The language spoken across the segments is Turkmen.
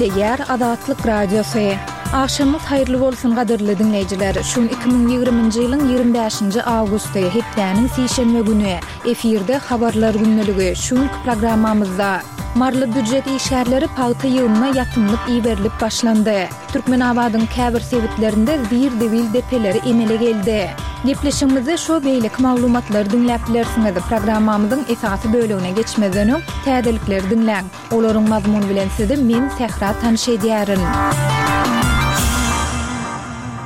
Gepleýär Azatlyk Radiosy. Agşamyňyz haýyrly bolsun gadyrly diňleýjiler. Şu gün 2020-nji ýylyň 25-nji awgusty, hepdäniň sişenbe güni. Efirde Habarlar gündeligi. Şu günki programmamyzda Maryly býujet işgärleri pagta ýygymyna ýatymlyk iberilip başlandy. Türkmenabadyň käbir sebitlerinde zir-zibil depeleri emele geldi. Gepleşigimizde şu we beýleki maglumatlary diňläp bilersiňiz. Programmamyzyň esasy bölegine geçmezden öň, täzelikleri diňläň. Olaryň mazmuny bilen sizi men, Sähra tanyş edýärin.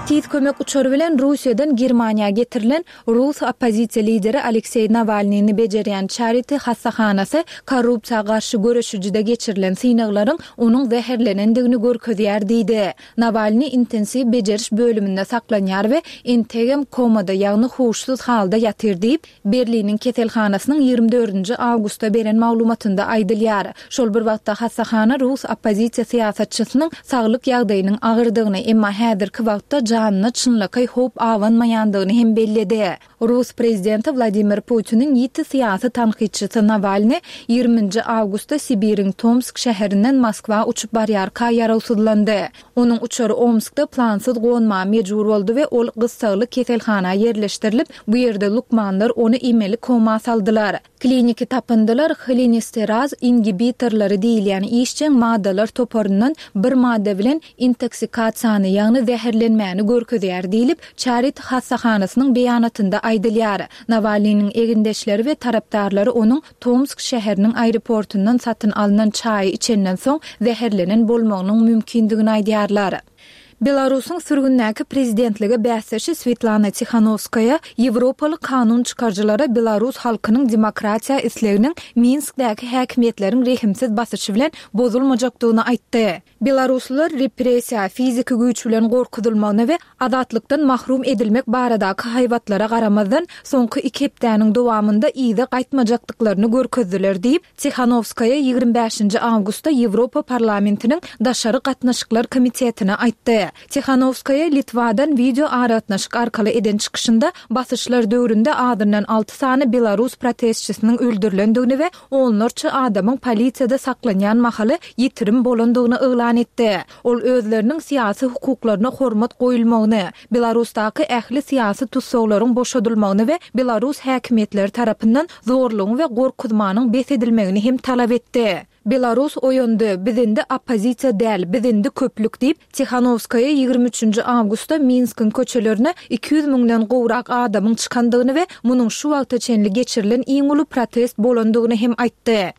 Tiz kömek uçary bilen Russiýadan Germaniýa getirilen Rus oppozisiýa lideri Alekseý Nawalnyny bejerýän Charity hassahanasy korrupsiýa garşy göreşijide geçirilen synaglaryň onuň zäherlenendigini görkezýär diýdi. Nawalnyý intensiw bejeriş bölüminde saklanýar we entegem komada, ýagny huşsuz halda ýatyr diýip, Berliniň keselhanasynyň ýigrimi dördünji awgustda beren maglumatynda aýdylýar. Şol bir wagtda hassahana rus oppozisiýa syýasatçysynyň saglyk ýagdaýynyň agyrdygyny, emma häzirki wagtda janyna çynlakaý howp abanmaýandygyny hem belledi. Rus prezidenti Wladimir Putiniň ýiti syýasy tankytçysy Nawalnyý ýigrimi nji awgustda Sibiriň Tomsk şäherinden Moskwa uçup barýarka ýarawsyzlandy. Onuň uçary Omskda plansyz gonmaga mejbur boldy we ol gyssagly keselhana ýerleşdirilip, bu ýerde lukmanlar ony emeli koma saldylar. Kliniki tapyndylar holinesteraz ingibitorlary diýilýän işjeň maddalar toparyndan bir madda bilen intoksikasiýany, ýagny zäherlenmäni görkezýär diýlip, Çarit hassahanasynyň beýanatynda aýdylýar. Nawalnynyň egindeşleri we tarapdarlary onuň Tomsk şäheriniň aeroportyndan satyn alnan çaýy içenden soň zäherlenen bolmagynyň mümkindigini aýdýarlar. Belarusyň sürgündäki prezidentlige bäsdeşi Swetlana Tihanowskaýa ýewropaly kanun çykaryjylara belarus halkynyň demokratiýa isleginiň Minskdäki häkimiýetleriň rehimsiz basyşy bilen bozulmajakdygyny aýtdy. Belaruslylar repressiýa, fiziki güýç bilen gorkuzylmagyna we azatlykdan mahrum edilmek baradaky haýbatlara garamazdan, soňky iki hepdäniň dowamynda yza gaýtmajakdyklaryny görkezdiler diýip, Tihanowskaýa 25-nji awgustda Ýewropa Parlamentiniň Daşary gatnaşyklar komitetine aýtdy. Tihanowskaýa Litwadan wideo aragatnaşyk arkaly eden çykyşynda basyşlar döwründe azyndan alty sany belarus protestçisiniň öldürilendigini we onlarça adamyň polisiýada saklanýan mahaly ýitirim bolandygyny yglan etdi. Ol özleriniň syýasy hukuklaryna hormat goýulmagyny, Belarusdaky ähli syýasy tussaglaryň boşadylmagyny we belarus häkimiýetleri tarapyndan zorlugyň we gorkuzmanyň bes edilmegini hem talap etdi. Belarus oýandy, biz indi oppozisiýa däl, biz indi köplük diýip, Tihanowskaýa ýigrimi üçünji awgustda Minskiň köçelerine 200 müňden gowrak adamyň çykandygyny we munuň şu wagta çenli geçirilen iň uly protest bolandygyny hem aýtdy.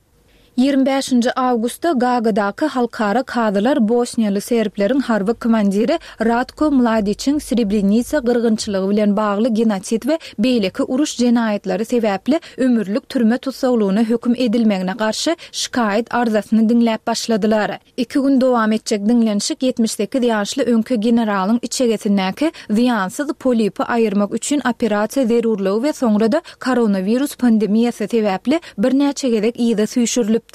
Ýigrimi bäşinji awgustda Gaagadaky halkara kazylar bosniýaly serbleriň harby komandiri Ratko Mladiçiň Srebrenisa gyrgynçylygy bilen bagly genosid we beýleki uruş jenaýatlary sebäpli ömürlik türme tussaglygyna höküm edilmegine garşy şikaýat arzasyny diňläp başladylar. Iki gün dowam etjek diňlenişik 78 ýaşly öňki generalyň içegesindäki zyýansyz polipi aýyrmak üçin operasiýa zerurlygy we soňra-da koronawirus pandemiýasy sebäpli birnäçe gezek yza süýşürilipdi.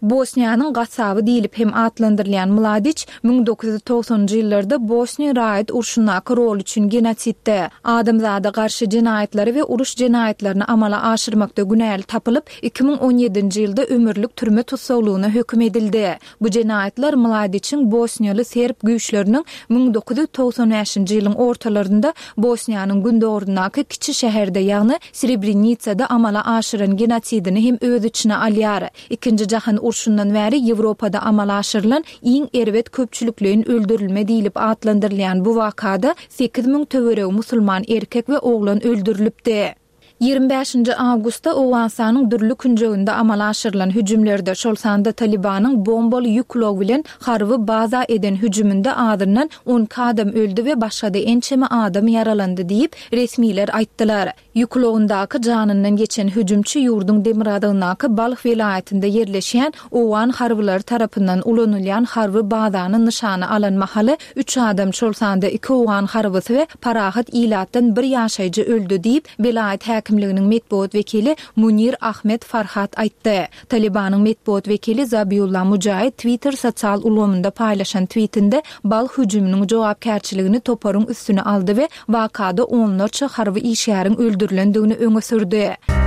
Bosniýanyň gassaby diýlip hem atlandyrylýan Mladiç 1990-njy ýyllarda Bosniýa raýat urşundaky roly üçin genosidde, adamzada garşy jenaýatlary we uruş jenaýatlaryny amala aşyrmakda günäli tapylyp, 2017-nji ýylda ömürlik türme tussaglygyna höküm edildi. Bu jenaýatlar Mladiçiň bosniýaly serb güýçleriniň 1995-nji ýylyň ortalarynda Bosniýanyň gündogaryndaky kiçi şäherde, ýagny Srebrenisada amala aşyran genosidini hem öz içine alýar. Ikinji jahan urşundan bäri Ýewropada amala aşyrylan iň erbet köpçülikleýin öldürilme diýlip atlandyrylýan bu wakada 8000 töweregi musulman erkek we oglan öldürilipdi. Ýigrimi bäşinji awgustda Owganystanyň dürli künjeginde amala aşyrylan hüjümlerde, şol sanda Talybanyň bombaly ýük ulagy bilen harby baza eden hüjüminde azyndan on iki adam öldi we başga-da ençeme adam ýaralandy diýip, resmiler aýtdylar. Ýük ulagyndaky janyndan geçen hüjümçi ýurduň demirgazygyndaky Balh welaýatynda ýerleşýän owgan harbylary tarapyndan ulanylýan harby bazany nyşana alan mahaly üç adam, şol sanda iki owgan harbysy we parahat ilatdan bir ýaşaýjy öldi diýip, welaýat häkimliginiň metbugat wekili Munir Ahmed Farhat aýtdy. Talybanyň metbugat wekili Zabiulla Mujaid Twitter sosial ulgamynda paýlaşan twitinde Balh hüjüminiň jogapkärçiligini toparyň üstüne aldy we wakada onlarça harby işgäriň öldürilendigini öňe sürdi.